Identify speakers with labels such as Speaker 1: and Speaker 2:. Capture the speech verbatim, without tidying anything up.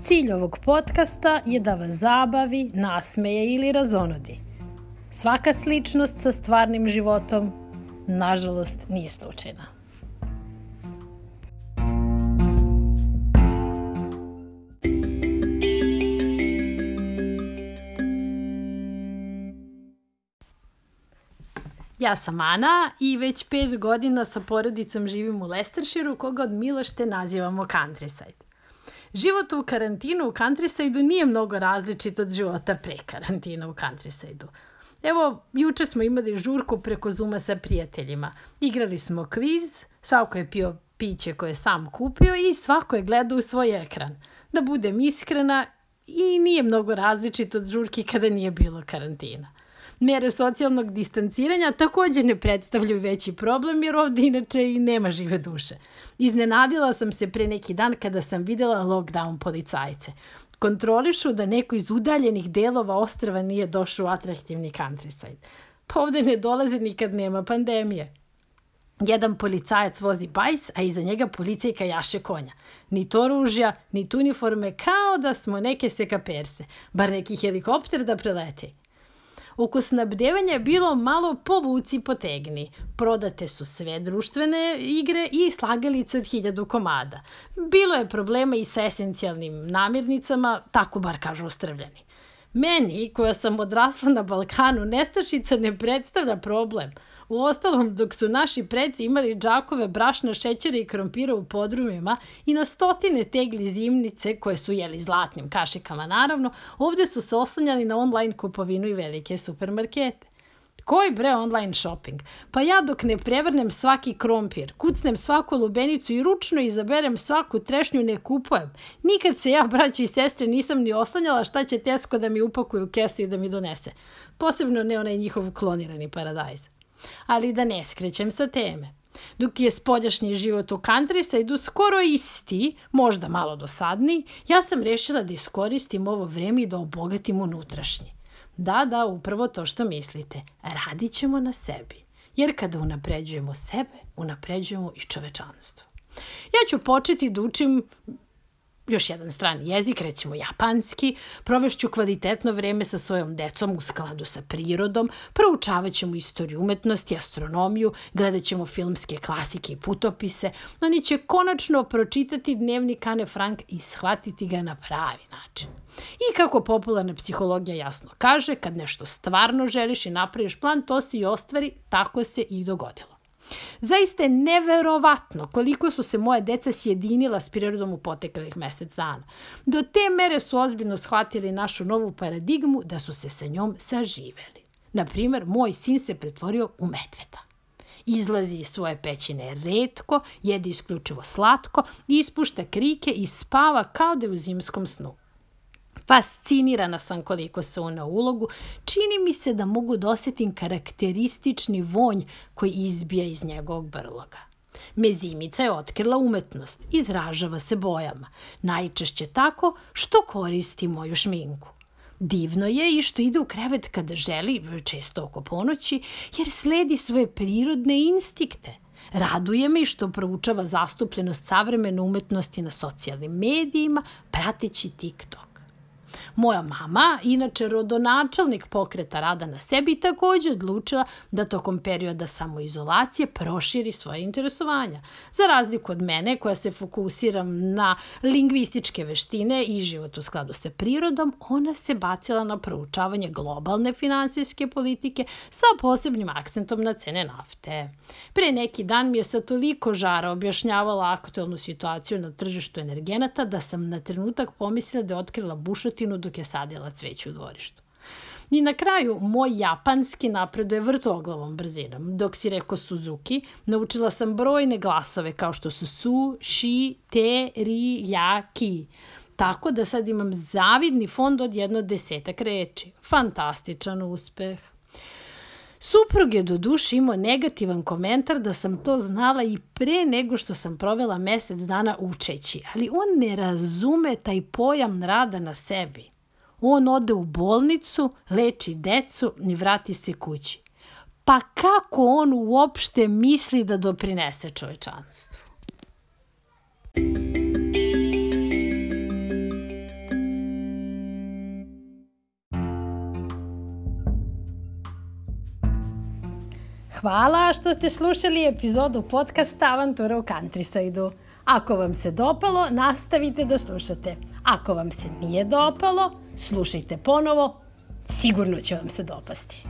Speaker 1: Cilj ovog podcasta je da vas zabavi, nasmeje ili razonodi. Svaka sličnost sa stvarnim životom, nažalost, nije slučajna. Ja sam Ana i već pet godina sa porodicom živim u Leicestershireu, koga od milošte nazivamo Countryside. Život u karantinu u Countrysideu nije mnogo različit od života pre karantina u Countrysideu. Evo, juče smo imali žurku preko Zooma sa prijateljima. Igrali smo kviz, svako je pio piće koje je sam kupio i svako je gledao u svoj ekran. Da budem iskrena, i nije mnogo različit od žurki kada nije bilo karantina. Mere socijalnog distanciranja također ne predstavljaju veći problem jer ovdje inače i nema žive duše. Iznenadila sam se pre neki dan kada sam vidjela lockdown policajce. Kontrolišu da neko iz udaljenih delova ostrva nije došao u atraktivni Countryside. Pa ovdje ne dolaze nikad nema pandemije. Jedan policajac vozi bajs, a iza njega policajka jaše konja. Ni to oružja, ni uniforme, kao da smo neke sekaperse, bar neki helikopter da prelete. Oko snabdevanja je bilo malo povuci potegni. Prodate su sve društvene igre i slagalice od hiljadu komada. Bilo je problema i sa esencijalnim namirnicama, tako bar kažu ostrvljani. Meni, koja sam odrasla na Balkanu, nestašica ne predstavlja problem. Uostalom, dok su naši preci imali džakove brašna, šećera i krompira u podrumima i na stotine tegli zimnice, koje su jeli zlatnim kašikama naravno, ovdje su se oslanjali na online kupovinu i velike supermarkete. Koji bre online shopping? Pa ja dok ne prevrnem svaki krompir, kucnem svaku lubenicu i ručno izaberem svaku trešnju ne kupujem. Nikad se ja, braćo i sestre, nisam ni oslanjala šta će Tesco da mi upakuje u kesu i da mi donese. Posebno ne onaj njihov klonirani paradajz. Ali da ne skrećem sa teme. Dok je spoljašnji život u Countrysideu skoro isti, možda malo dosadniji, ja sam rešila da iskoristim ovo vreme i da obogatim unutrašnji. Da, da, upravo to što mislite. Radit ćemo na sebi. Jer kada unapređujemo sebe, unapređujemo i čovečanstvo. Ja ću početi da učim još jedan strani jezik, recimo japanski, provešću kvalitetno vreme sa svojom decom u skladu sa prirodom, proučavat ćemo istoriju umetnosti, astronomiju, gledat ćemo filmske klasike i putopise, oni će konačno pročitati dnevnik Ane Frank i shvatiti ga na pravi način. I kako popularna psihologija jasno kaže, kad nešto stvarno želiš i napraviš plan, to se i ostvari, tako se i dogodilo. Zaista je neverovatno koliko su se moje deca sjedinila s prirodom u poteklih mjesec dana. Do te mere su ozbiljno shvatili našu novu paradigmu da su se sa njom saživeli. Naprimjer, moj sin se pretvorio u medveda. Izlazi iz svoje pećine retko, jede isključivo slatko, ispušta krike i spava kao da je u zimskom snu. Fascinirana sam koliko se ona ulogu, čini mi se da mogu da osjetim karakteristični vonj koji izbija iz njegovog brloga. Mezimica je otkrila umetnost, izražava se bojama, najčešće tako što koristi moju šminku. Divno je i što ide u krevet kada želi, često oko ponoći, jer sledi svoje prirodne instikte. Raduje me i što proučava zastupljenost savremene umetnosti na socijalnim medijima, prateći TikTok. Moja mama, inače rodonačelnik pokreta rada na sebi, također odlučila da tokom perioda samoizolacije proširi svoje interesovanja. Za razliku od mene, koja se fokusiram na lingvističke veštine i život u skladu sa prirodom, ona se bacila na proučavanje globalne finansijske politike sa posebnim akcentom na cene nafte. Pre neki dan mi je sa toliko žara objašnjavala aktualnu situaciju na tržištu energenata da sam na trenutak pomislila da je otkrila bušotinu dok je sadila cveće u dvorištu. I na kraju, moj japanski napreduje vrtoglavom brzinom. Dok si rekao Suzuki, naučila sam brojne glasove kao što su su, ši, te, ri, ja, ki. Tako da sad imam zavidni fond od jedno desetak reči. Fantastičan uspeh. Suprug je do duše imao negativan komentar da sam to znala i pre nego što sam provela mjesec dana učeći, ali on ne razume taj pojam rada na sebi. On ode u bolnicu, leči decu i vrati se kući. Pa kako on uopšte misli da doprinese čovečanstvu? Hvala što ste slušali epizodu podcasta Avantura u Countryside-u. Ako vam se dopalo, nastavite da slušate. Ako vam se nije dopalo, slušajte ponovo, sigurno će vam se dopasti.